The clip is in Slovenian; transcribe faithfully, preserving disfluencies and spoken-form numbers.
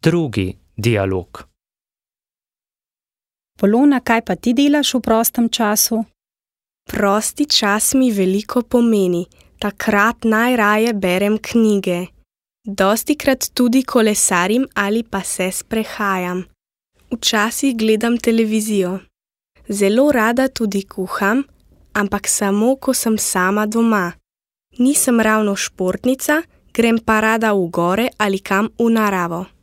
drugi dialog. Polona, kaj pa ti delaš v prostem času? Prosti čas mi veliko pomeni, takrat najraje berem knjige. Dostikrat tudi kolesarim ali pa se sprehajam. Včasih gledam televizijo. Zelo rada tudi kuham, ampak samo, ko sem sama doma. Nisem ravno športnica, grem pa rada v gore ali kam v naravo.